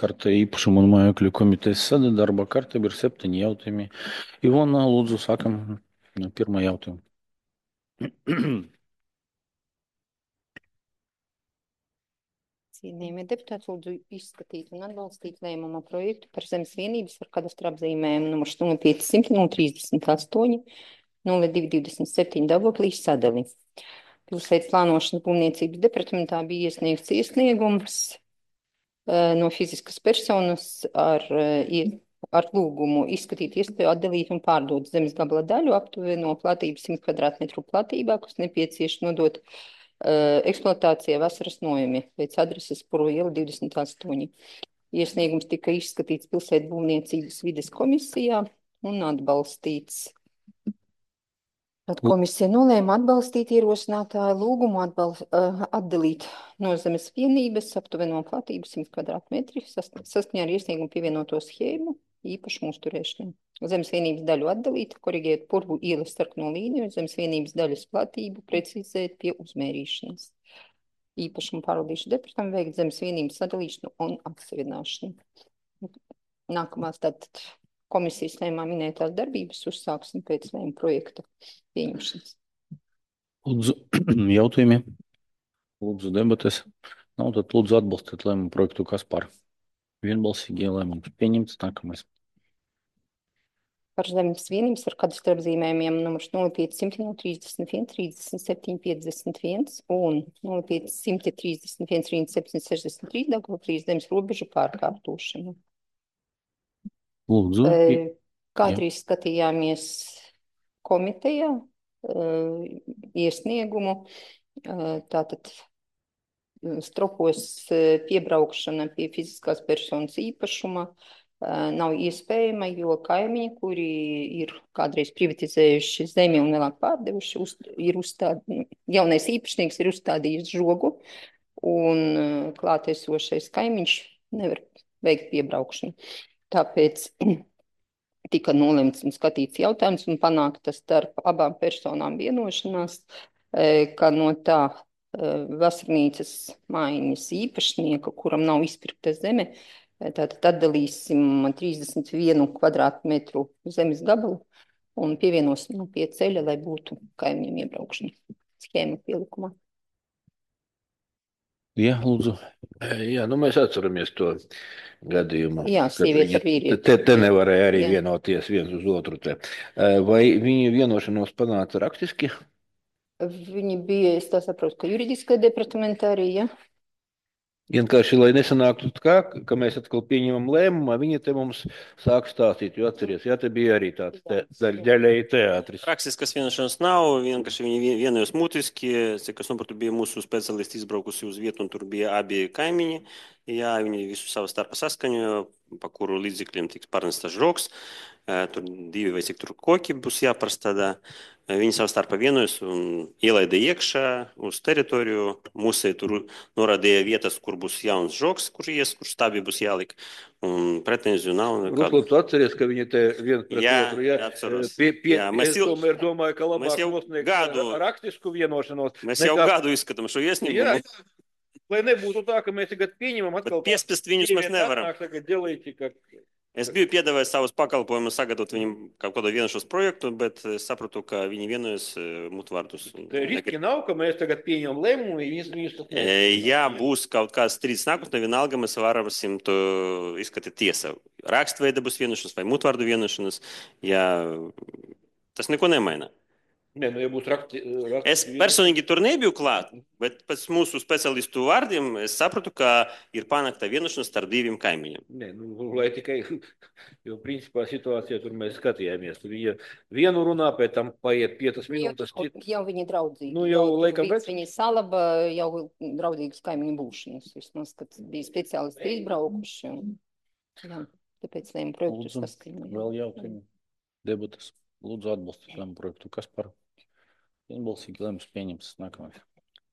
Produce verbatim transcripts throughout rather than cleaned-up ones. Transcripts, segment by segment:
karte īpašumu un mājokļu komitejas sēde. Darba kārtība ir septiņi jautājumi. Ivona, lūdzu, sākam no pirmā jautājuma. Cienījamie deputāti, lūdzu izskatīt un atbalstīt lēmuma projektu par zemes vienības ar kadastra apzīmējumu numurs nulle pieci simti nulle trīsdesmit astoņi nulle divi divdesmit septiņi Daugavpils sadali. Pilsētas plānošanas būvniecības departamentā bija iesniegts iesniegums uh, no fiziskas personas ar, uh, ar lūgumu izskatīt iespēju atdalīt un pārdot zemes gabala daļu aptuveno platību simt kvadrātmetru platībā, kas nepieciešams nodot uh, eksploatācijai vasaras nojumi pēc adreses Puru iela divdesmit astoņi. Iesniegums tika izskatīts pilsētu būvniecības vides komisijā un atbalstīts. Tad komisija nolēma atbalstīt ierosinātāju lūgumu atbal, uh, atdalīt no zemes vienības aptuveno platību simt kvadrātmetri saskaņā ar iesniegumu pievienoto schēmu īpašumu uzturēšanai. Zemes vienības daļu atdalīt, korigēt Purvu ielas sarkano līniju, zemes vienības daļas platību precizēt pie uzmērīšanas. Īpašumu pārvaldīšu departamentam veikt zemes vienības sadalīšanu un atseviināšanu. Nākamās tātad komisijas lēmā minētās darbības uzsāksim pēc lēmuma projekta pieņemšanas. Lūdzu, jautājumi. Lūdzu, debates. Nav, tad lūdzu atbalstīt lēmumu projektu, kas par. Vienbalsīgi lēmums pieņemts. Nākamais. Par zemes vienības ar kadastra apzīmējumiem numurs nulle pieci simti nulle trīsdesmit viens trīsdesmit septiņi piecdesmit viens un nulle pieci simti trīsdesmit viens trīsdesmit septiņi sešdesmit trīs Daugavpils zemes robežu pārkārtošanu. Lūdzu. Kādreiz skatījāmies komitejā iesniegumu, tātad stropos piebraukšana pie fiziskās personas īpašuma nav iespējama, jo kaimiņi, kuri ir kādreiz privatizējuši zemi un vēlāk pārdevuši, uz, ir uzstādi, jaunais īpašnieks ir uzstādījis žogu un klātesošais kaimiņš nevar veikt piebraukšanu. Tāpēc tika nolemts un skatīts jautājums un panākta starp abām personām vienošanās, ka no tā vasarnīcas mājiņas īpašnieka, kuram nav izpirkta zeme, tātad atdalīsim trīsdesmit vienu kvadrātmetru zemes gabalu un pievienosim pie ceļa, lai būtu kaimiņiem iebraukšana. Schēma pielikumā. Jā, lūdzu. Jā, nu mēs atceramies to gadījumu. Jā, sieviete ar vīrieti. Te, te nevarēja arī Jā. vienoties viens uz otru te. Vai viņi vienošanos panāca rakstiski? Viņi bija, es tā saprotu, ka juridiskā departamentā arī, ja? Vienkārši, lai nesanāktu kā, ka mēs atkal pieņemam lēmumu, viņi te mums sāk stāstīt, jo atceries, jā, te bija arī tāds te, daļēji teātris. Rakstiskas vienošanās nav, vienkārši viņi vienojās mutiski, cik es saprotu, bija mūsu speciālisti izbraukusi uz vietu, un tur bija abi kaimiņi, jā, viņi visu savu starpā saskaņoja, pa kuru līdzekļiem tiks pārnestas žoks, tur divi vai cik tur koki būs jāprastādā. Viņi savu starpā vienojas un ielaida iekšā uz teritoriju. Mūsē tur norādīja vietas, kur būs jauns žoks, kur ies, kur stābi būs jālik. Un pretenziju nav. Ruslo, tu atceries, ka viņi te viens pret jā, otru, jā? Atceros. Pie, pie, Jā, es jau, tomēr domāju, ka labāk jau nosniegt gadu, rakstisku vienošanos. Mēs nekā... jau gadu izskatām šo iesniegumu. Jā, lai nebūtu tā, ka mēs tagad pieņemam atkal... Bet piespiest viņus mēs nevaram. Atnāk, tagad ģelīti, ka... Es biju piedāvājis savus pakalpojumus sagatavot viņam kaut kādu vienošanos projektu, bet es sapratu, ka viņi vienojas mutvārdus. Riski nav, ka mēs tagad pieņemam lēmumu, viņus viņus tas e, Jā, būs kaut kāds strīds nākotnē, vienalga mēs varam to izskatīt tiesā. Rakstveida būs vienošanas vai mutvārdu vienošanas, jā, tas neko nemaina. Nē, nu, ja būs rakti, rakti, es personīgi tur nebiju klāt, bet pēc mūsu specialistu vārdiem es sapratu, ka ir panākta vienošanās starp diviem kaimiņiem. Nē, nu, lai tikai, jo principā situācijā tur mēs skatījāmies. Tur viņa vienu runā, pēc tam paiet piecas minūtes. Jau, jau viņi draudzīgi. Nu, jau, jau laikam pēc. Viņi salaba jau draudīgas kaimiņu būšanas. Vismaz, kad bija speciālisti izbraukuši. Un, jā, tāpēc lēma projektu saskaņoja. Vēl jautājumi. Debatas. Lūdzu atbalstīt lēmumu projektu. Kas par? Vienbalsīgi lēmums pieņemts. Nākamais.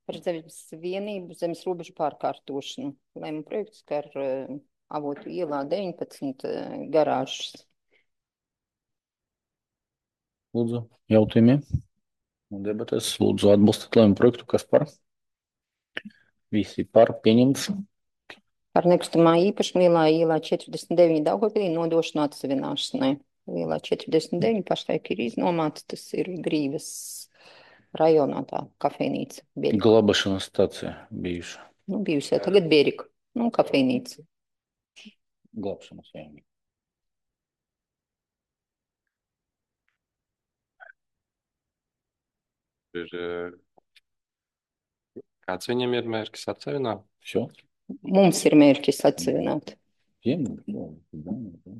Par zemes vienību, zemes robežu pārkārtošanu. Lēmuma projekts, ka ar uh, Avotu ielā deviņpadsmit uh, garāžas. Lūdzu, jautājumi. Debates. Lūdzu atbalstīt lēmumu projektu. Kas par? Visi par pieņemts. Par nekustamā īpašuma lielā ielā četrdesmit deviņi Daugavpilī nodošana atsevināšanai. Lielā četrdesmit deviņi pašlaik ir iznomāts, tas ir Grīvas rajonā tā kafejnīca. Bierika. Glābašanas stacija bijuša. Nu, bijusi jau tagad Bierika. Nu, kafejnīca. Glābšanas, jā. Ir, eh, kāds viņam ir mērķis atsevināt? Все? Mums ir mērķis atsevināt. Тем? Да, да, да.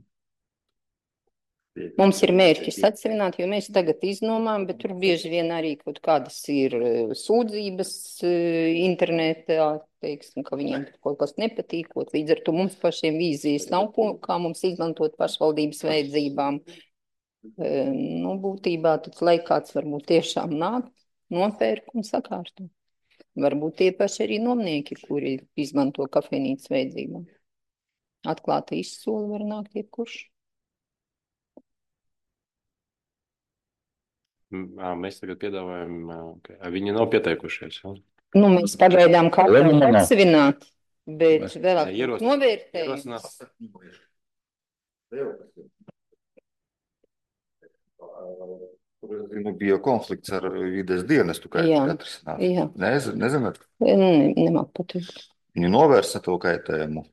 Mums ir mērķis atsevināt, jo mēs tagad iznomām, bet tur bieži vien arī kaut kādas ir eh, sūdzības eh, internetā, teiksim, ka viņiem tur kaut kas nepatīkot. Līdz ar to mums pašiem vīzijas nav, ko, kā mums izmantot pašvaldības vajadzībām. Eh, Nu, būtībā tad, lai kāds varbūt tiešām nāk, nopērk un sakārto. Varbūt tie paši arī nomnieki, kuri izmanto kafejnīcas vajadzībām. Atklāta izsola var nākt jebkurš. M, ā, Mēs tagad piedāvājam, ā, ka ā, viņi nav pieteikušies. Ja? Nu, mēs pagaidām kā Lēmumu nav. atsevināt, bet Mēs- vēl Nē, ierosināt. novērtējums. Ierosināt. Nu, bija konflikts ar vides dienestu, kā Jā. jūs atrisināt. Jā, Nez, nezināt, ne, nemāk pateikt. viņi novērsa to kaitējumu Nu,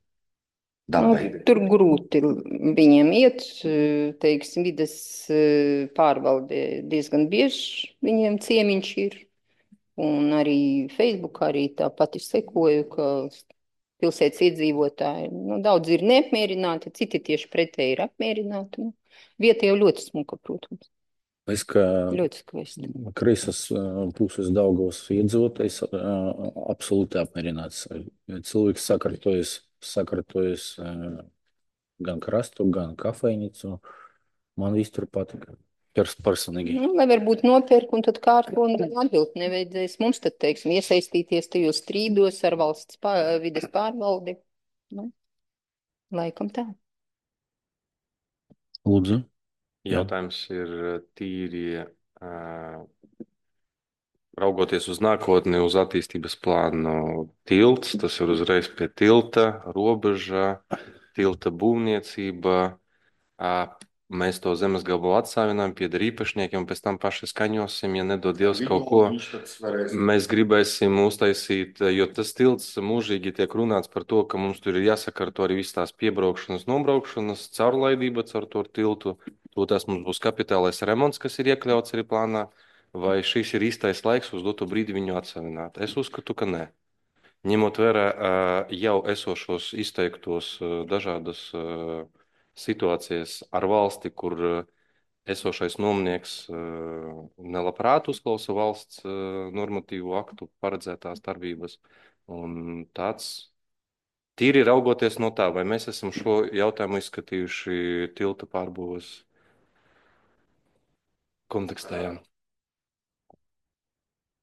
dabai. tur grūti viņiem iet, teiksim, vides eh, pārvalde diezgan bieži viņiem ciemiņš ir. Un arī Facebookā arī tā pati sekoju, ka pilsētas iedzīvotāji, nu, daudz ir neapmierināti, citi tieši pretēji ir apmierināti. Nu, vieta jau ļoti smuka, protams, Es kā ļoti skaisti. kreisas ā, puses Daugavas iedzīvotājs ā, absolūti apmierināts. Cilvēks sakārtojas, sakārtojas ā, gan krastu, gan kafejnīcu. Man viss tur patika. Pers personīgi. Nu, lai varbūt nopērk un tad kārto un atbild nevajadzēs mums tad, teiksim, iesaistīties tajos strīdos ar valsts pā, vides pārvaldi. Nu, laikam tā. Lūdzu. Jā. Jautājums ir ā, tīri ā, raugoties uz nākotni, uz attīstības plānu tilts, tas ir uzreiz pie tilta, robeža, tilta būvniecība. ā, Mēs to zemes gabalu atsavinām, pieder īpašniekiem, un pēc tam paši skaņosim, ja nedod Dievs kaut ko. Mēs gribēsim uztaisīt, jo tas tilts mūžīgi tiek runāts par to, ka mums tur ir jāsakārto arī viss tās piebraukšanas, nobraukšanas, caurlaidība caur to tiltu. To tas mums būs kapitālais remonts, kas ir iekļauts arī plānā, vai šis ir īstais laiks uz doto brīdi viņu atsavināt. Es uzskatu, ka nē. Ņemot vērā ā, jau esošos izteiktos ā, dažādas ā, situācijas ar valsti, kur ā, esošais nomnieks ā, nelabprāt uzklausa valsts ā, normatīvu aktu paredzētās darbības. Un tāds tīri raugoties no tā, vai mēs esam šo jautājumu izskatījuši tilta pārbūves kontekstā. Jā.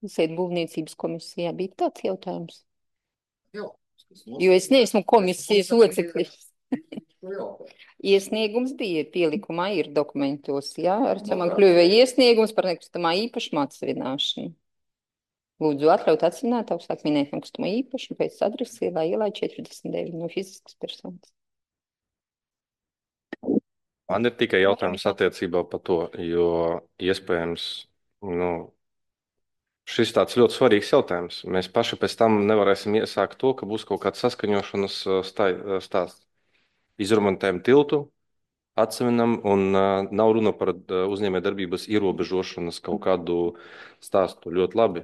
Sēd būvniecības komisijā bija tāds jautājums. Jā, Jo es neesmu komisijas loceklis. Iesniegums bija pielikumā, ir dokumentos, jā, ar ce man kļuva iesniegums par nekustamā īpašuma atsevināšanu. Lūdzu atļaut atsevināt augstāk minēt nekustamā īpašumu pēc adresi ielā ielā četrdesmit deviņi no fiziskas personas. Man ir tikai jautājums attiecībā par to, jo iespējams, nu, šis tāds ļoti svarīgs jautājums. Mēs paši pēc tam nevarēsim iesākt to, ka būs kaut kāds saskaņošanas ā, stai- ā, stāsts. Izremontējam tiltu, atsevinam, un uh, nav runa par uh, uzņēmējdarbības ierobežošanas kaut kādu stāstu. Ļoti labi.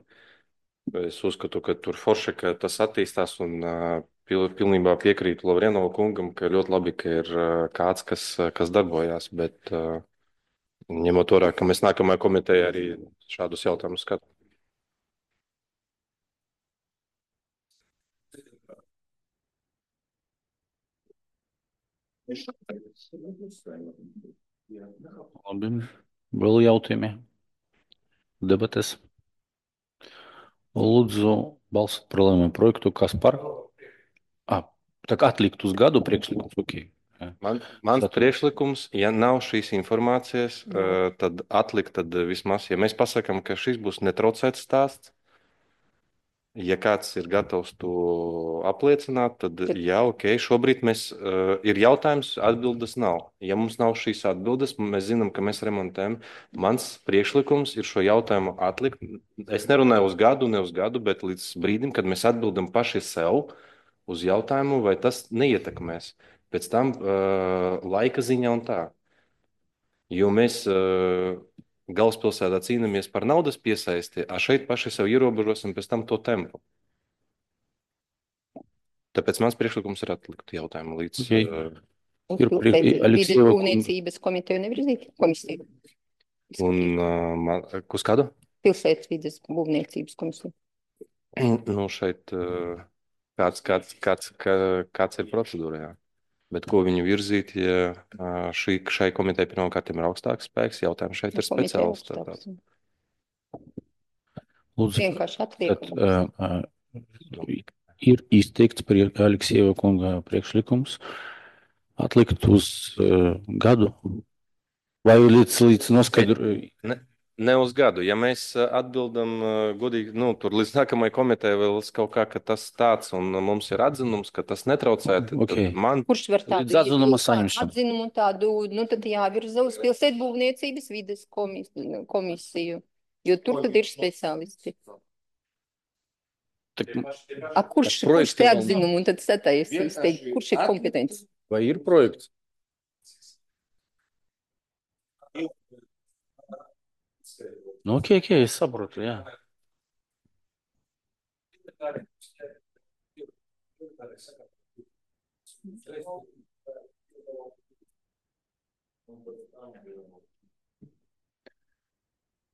Es uzskatu, ka tur forši, ka tas attīstās, un uh, pil, pilnībā piekrītu Lavrienova kungam, ka ļoti labi, ka ir uh, kāds, kas, uh, kas darbojās, bet uh, ņemot vērā, ka mēs nākamajā komitejā arī šādus jautājumus skatām. Labi. Vēl jautājumi? Debates? Lūdzu, balsot par lēmumu projektu. Kas par? Ah, tā kā atlikt uz gadu priekšlikums. Okay. Jā. Man, mans Satur- priekšlikums, ja nav šīs informācijas, uh, tad atlikt, tad vismaz, ja mēs pasakām, ka šis būs netraucēts stāsts, Ja kāds ir gatavs to apliecināt, tad Tad- jā, ok, šobrīd mēs, uh, ir jautājums, atbildes nav. Ja mums nav šīs atbildes, mēs zinām, ka mēs remontējam. Mans priekšlikums ir šo jautājumu atlikt. Es nerunāju uz gadu, ne uz gadu, bet līdz brīdim, kad mēs atbildam paši sev uz jautājumu, vai tas neietekmēs. Pēc tam uh, laika ziņā un tā. Jo mēs uh, galvaspilsētā cīnāmies par naudas piesaisti, a šeit paši sev ierobežosim pēc tam to tempu. Tāpēc mans priekšlikums ir atlikt jautājumu līdz. Okei. Uh, Uz Ir pilsētas pri- vides Aleksejeva kunga- būvniecības komiteju nevirzīt komisiju. un uh, man, uz kādu? Pilsētas vides būvniecības komisiju. Nu, šeit uh, kāds, kāds, kāds, kā, kāds ir procedūra, jā. Bet ko viņu virzīt, ja uh, šī, šai komitei pirmkārt ir augstāks spēks, jautājums šeit ir Komiteja speciālists. augstāks. Lūdzu, Vienkārši tad, atliekam. uh, uh, ir izteikts prie Aleksejeva kunga priekšlikums atlikt uz uh, gadu vai līdz, līdz noskaidru. Ne, ne uz gadu. Ja mēs uh, atbildam uh, godīgi, nu, tur līdz nākamajai komitejai vēl kaut kā, ka tas tāds, un mums ir atzinums, ka tas netraucē, tad Okay. man Kurš var tādu Līdz atzinuma iebilst, saņemšanu. atzinumu tādu, nu tad jāvirza uz pilsētu būvniecības vides komis, komisiju, jo tur tad ir speciālisti. Tak, A, kurš, Tas projekts kurš te jau nav. atzinumu un tad sataisīs, teikt, kurš ir kompetents? vai ir projekts? Nu, ok, ok, es saprotu, jā.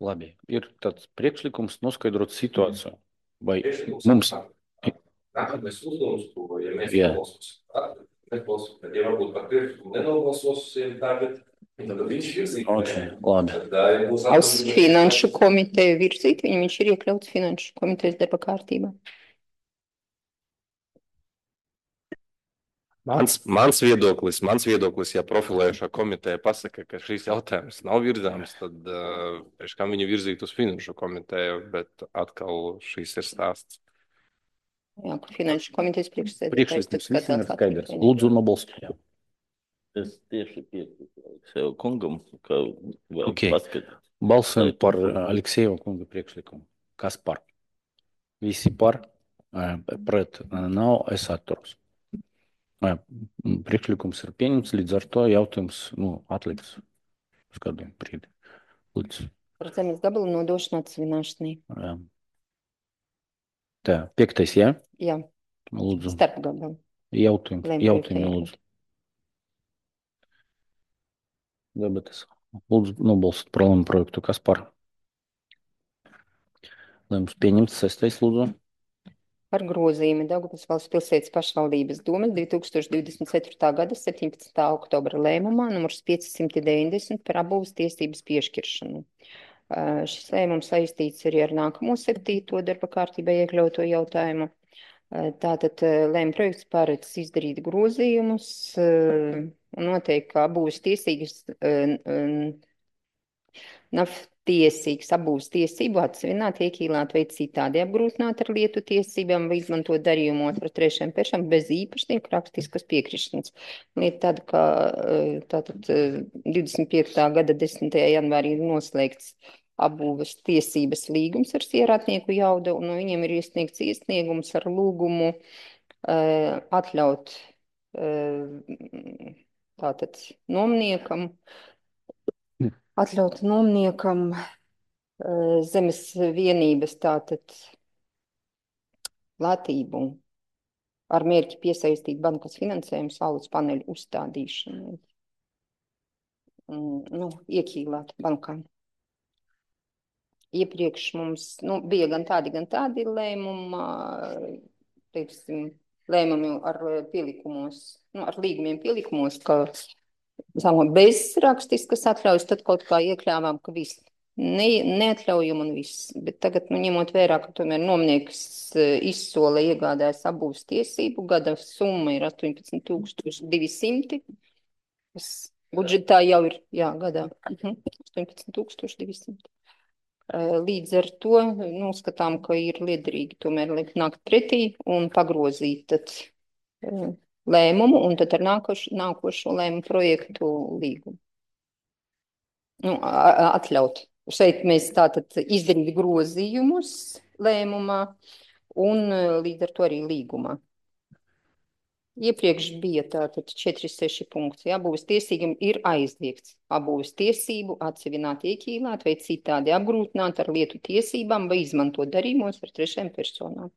Labi, ir tāds priekšlikums noskaidrot situāciju. Vai mums Nākamais uzdevums, ko, ja mēs Jā. nebalsosim, nebalsosim, tad, ja varbūt par priekšlikumu nenobalsosim tagad, tad viņš virzīt. Ok, labi. Tad, ā, ja būs Uz atbildības- finanšu komiteju virzīt, viņu viņš ir iekļauts finanšu komitejas darba kārtībā. Mans, mans viedoklis, mans viedoklis, ja profilējušā komiteja pasaka, ka šīs jautājums nav virzāms, tad uh, pēc kam viņu virzīt uz finanšu komiteju, bet atkal šīs ir stāsts. Jā, kur finanšu komitejas priekšsēdētājs. Priekšlikums tad visiem ir skatās skaidrs. atpakaļ. Lūdzu, nobalsojam. Es tieši piekrītu Aleksēju kungam, ka vajag Ok. paskatīt. Balsojam par uh, Aleksejeva kunga priekšlikumu. Kas par? Visi par, uh, pret uh, nav, es atturos. Uh, Priekšlikums ir pieņemts, līdz ar to jautājums nu, atliks uz kādu brīdi. Lūdzu. Par zemes gabalu nodošanu atsvināšanai. Uh, Tā, piektais, jā? Jā, Lūdzu. starp gabalu. Jautājums, Lēmprojekta jautājumi, jābūt. lūdzu. Debates. Lūdzu, nobalsot par lēmumu projektu. Kas par? Lēmums pieņemts. Sestais, lūdzu. Par grozījumu Daugavpils valsts pilsētas pašvaldības domas divi tūkstoši divdesmit ceturtā gada septiņpadsmitā oktobra lēmumā numurs piecsimt deviņdesmit par apbūves tiesības piešķiršanu. Uh, Šis lēmums saistīts arī ar nākamo septīto darba kārtībā iekļauto jautājumu. Uh, Tātad uh, lēmuma projekts paredz izdarīt grozījumus uh, un noteikti, ka apbūves tiesības uh, um, nav tiesīgs apbūves tiesību atsvināt, iekīlāt vai citādi apgrūtināt ar lietu tiesībām vai izmantot darījumos ar trešajām personām bez īpašnieku rakstiskas piekrišanas. Lieta tāda, ka uh, tātad uh, divdesmit piektā gada desmitajā janvārī ir noslēgts apbūves tiesības līgums ar sierātnieku Jauda, un no viņiem ir iesniegts iesniegums ar lūgumu uh, atļaut uh, tātad nomniekam, atļaut nomniekam uh, zemes vienības tātad platību ar mērķi piesaistīt bankas finansējumu saules paneļu uzstādīšanai. Mm, nu, iekīlāt bankām. Iepriekš mums nu, bija gan tādi, gan tādi lēmumi, teiksim, lēmumi ar pielikumos, nu, ar līgumiem pielikumos, ka sākumā bez rakstiskas atļaujas, tad kaut kā iekļāvām, ka viss ne, neatļaujam un viss. Bet tagad, nu, ņemot vērā, ka tomēr nomnieks izsola iegādājas apbūves tiesību, gada summa ir astoņpadsmit tūkstoši divi simti. Tas budžetā jau ir, jā, gadā, uh -huh. astoņpadsmit tūkstoši divi simti. Līdz ar to nu, uzskatām, ka ir liederīgi tomēr likt nākt pretī un pagrozīt tad, eh, lēmumu un tad ar nākošu, nākošo lēmumu projektu līgumu. Nu, a- a- atļaut. Šeit mēs tātad izdarīt grozījumus lēmumā un eh, līdz ar to arī līgumā. Iepriekš bija tātad četri seši punkti. Abūves tiesīgam ir aizliegts abūves tiesību atsevināt, ieķīlāt vai citādi apgrūtināt ar lietu tiesībām vai izmantot darījumos ar trešajām personām.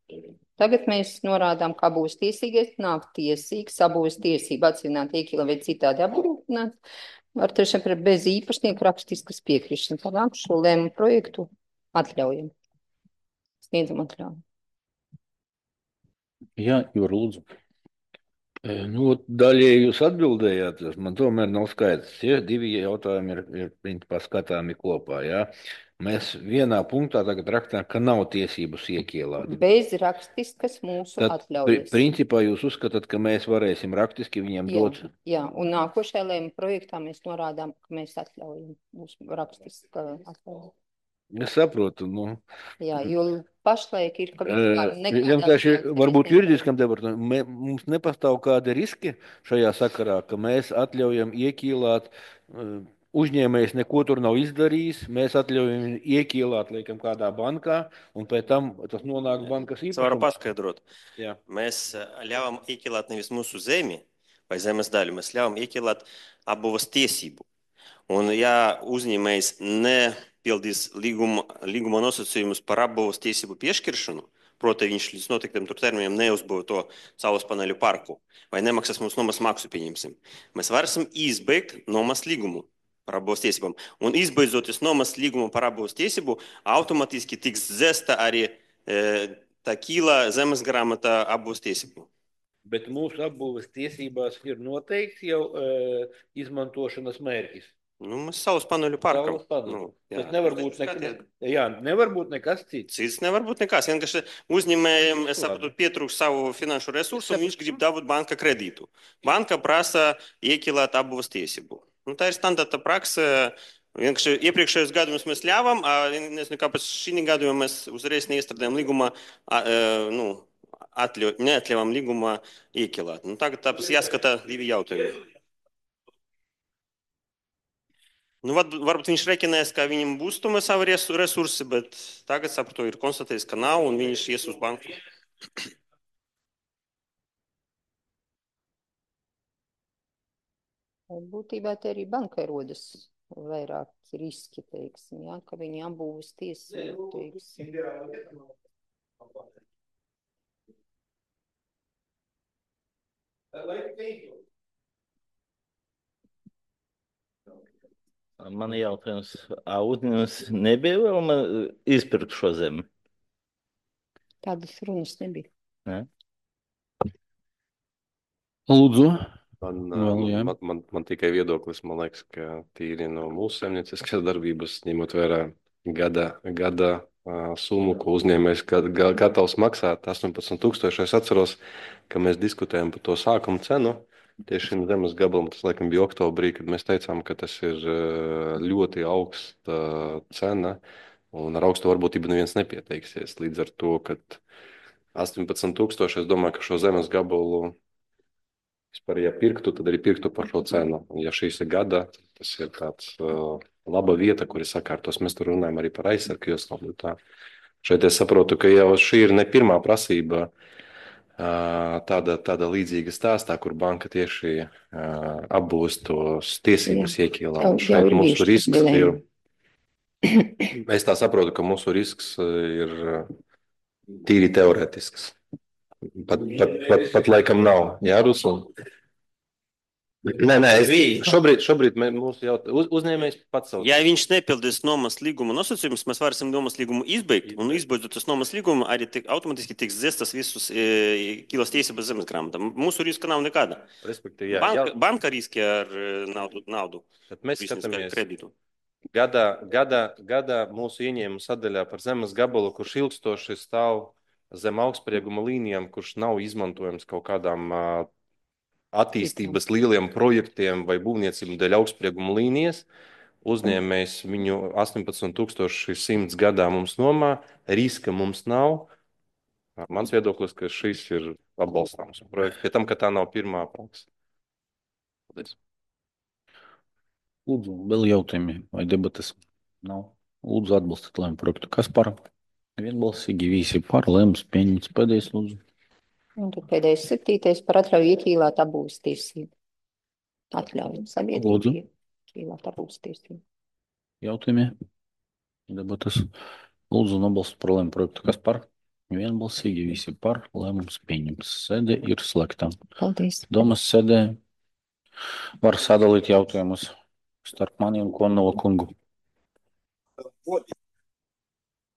Tagad mēs norādām, ka abūves tiesīgais nav tiesīgs abūves tiesību atsevināt, ieķīlāt vai citādi apgrūtināt ar trešajām personām bez īpašnieku rakstiskas piekrišanas. Tālāk šo lēmumu projektu atļaujam. Sniedzam atļauju. Jā, Jūra, lūdzu. E, Nu, daļēji jūs atbildējāt, tas man tomēr nav skaidrs. Tie divi jautājumi ir, ir principā skatāmi kopā. Ja? Mēs vienā punktā tagad rakstām, ka nav tiesības iekielāt. Bez rakstiskas mūsu Tad, pri, atļaujas. principā, jūs uzskatāt, ka mēs varēsim rakstiski viņiem Jā, dot. jā, un nākošajā lēmuma projektā mēs norādām, ka mēs atļaujam mūsu rakstiska atļauja. Es saprotu, nu, Jā, jo pašlaik ir, ka vispār nekādā vienkārši ziņā varbūt neviens juridiskam debatam mē- mums nepastāv kādi riski šajā sakarā, ka mēs atļaujam ieķīlāt, eh, uzņēmējs neko tur nav izdarījis, mēs atļaujam viņu ieķīlāt, liekam, kādā bankā, un pēc tam tas nonāk bankas Es varu īpašumā. paskaidrot. Jā. Mēs eh, ļāvām ieķilāt nevis mūsu zemi vai zemes daļu, mēs ļāvām ieķilāt abūves tiesību. Un ja uzņēmējs nepildīs līguma, līguma nosacījumus par abūves tiesību piešķiršanu, proti viņš līdz noteiktam tur termiņam neuzbūvē to saules paneļu parku vai nemaksās mums nomas maksu, pieņemsim, mēs varēsim izbeigt nomas līgumu par abūves tiesībām. Un izbeidzoties nomas līgumu par abūves tiesību, automātiski tiks dzēsta arī e, tā kīla zemes grāmata abūves tiesību. Bet mūsu apbūves tiesībās ir noteikts jau e, izmantošanas mērķis. Nu, mēs saules paneļu parkam. Saules paneļu. Nu, jā. Tas nevar būt, nek jā, nevar būt nekas cits. Cits nevar būt nekas. Vienkārši uzņēmējiem, es Labi. saprotu, pietrūkst savu finanšu resursu, un viņš grib dabūt banka kredītu. Banka prasa iekilēt abūves tiesību. Nu, tā ir standarta praksa. Vienkārši iepriekšējos gadījumus mēs ļāvām, a, nezinu, kāpēc šī gadījumā mēs uzreiz neiestrādājam līgumā, a, e, nu, atļau, neatļaujam līgumā iekilēt. Nu, tagad tāpēc jāskata divi jautājumi. Nu, var, varbūt viņš rekinēs, ka viņam būs tomēr savi resu- resursi, bet tagad, saprotu, ir konstatējis, ka nav, un viņš ies uz banku. Būtībā te arī bankai rodas vairāk riski, teiksim, jā, ka viņi abūves tiesību, teiksim. Man ir jautājums, ā, uzņēmums nebija vēlme izpirkt šo zemi? Tādas runas nebija. Ne? Lūdzu. Man, Vēl, jā. man, man, man tikai viedoklis, man liekas, ka tīri no mūsu saimnieciskās darbības, ņemot vērā gada, gada uh, summu, ko uzņēmējs ga- ga- gatavs maksāt, astoņpadsmit tūkstoši. Es atceros, ka mēs diskutējam par to sākuma cenu. Tieši šim zemes gabalam, tas laikam bija oktobrī, kad mēs teicām, ka tas ir uh, ļoti augsta cena, un ar augstu varbūtību neviens nepieteiksies. Līdz ar to, ka astoņpadsmit tūkstoši, es domāju, ka šo zemes gabalu vispār, ja pirktu, tad arī pirktu par šo cenu. Un ja šīs ir gada, tas ir tāds uh, laba vieta, kur ir sakārtos. Mēs tur runājam arī par aizsargu joslām. Tā. Šeit es saprotu, ka jau šī ir ne pirmā prasība uh, tāda, tāda līdzīga stāstā, kur banka tieši uh, apbūst tos tiesības iekīlā. Jau- Un jau šeit ir mūsu bijušas risks ir, dilēma. es tā saprotu, ka mūsu risks uh, ir uh, tīri teorētisks. Pat, pat, pat, pat laikam nav, jā, Ruslan? Nē, nē, es, šobrīd, šobrīd mē- mūsu jautā, uz, uzņēmējs pats savu. Ja viņš nepildīs nomas līguma nosacījumus, mēs varēsim nomas līgumu izbeigt, un izbeidzot tas nomas līgumu, arī tik, automātiski tiks dzēstas visus e, kilas tiesības zemes grāmatā. Mūsu riska nav nekāda. Respektīvi, jā, Banka, jā, banka riski ar e, naudu, naudu bet mēs biznesu skatāmies kredītu. gadā, gadā, gadā mūsu ieņēmuma sadaļā par zemes gabalu, kurš ilgstoši stāv zem augstsprieguma līnijām, kurš nav izmantojams kaut kādām ā, attīstības lieliem projektiem vai būvniecību dēļ augstsprieguma līnijas. Uzņēmējs viņu astoņpadsmit tūkstoši simts gadā mums nomā, riska mums nav. Mans viedoklis, ka šis ir atbalstāms projekts, pie tam, ka tā nav pirmā praksa. Paldies. Lūdzu, vēl jautājumi vai debatas? Nav. Lūdzu, atbalstiet lēmumu projektu. Kas par? Vienbalsīgi visi par lēmums pieņemts. Pēdējais, lūdzu. Un tad pēdējais septītais par atļauju ieķīlāt abūves tiesību. Atļauju Lūdzu. sabiedrību ieķīlāt abūves tiesību. Jautājumi? Debatas. Lūdzu, nobalstu par lēmumu projektu. Kas par? Vienbalsīgi visi par lēmums pieņemts. Sēde ir slēgta. Paldies. Domas sēdē var sadalīt jautājumus starp mani un Konova kungu.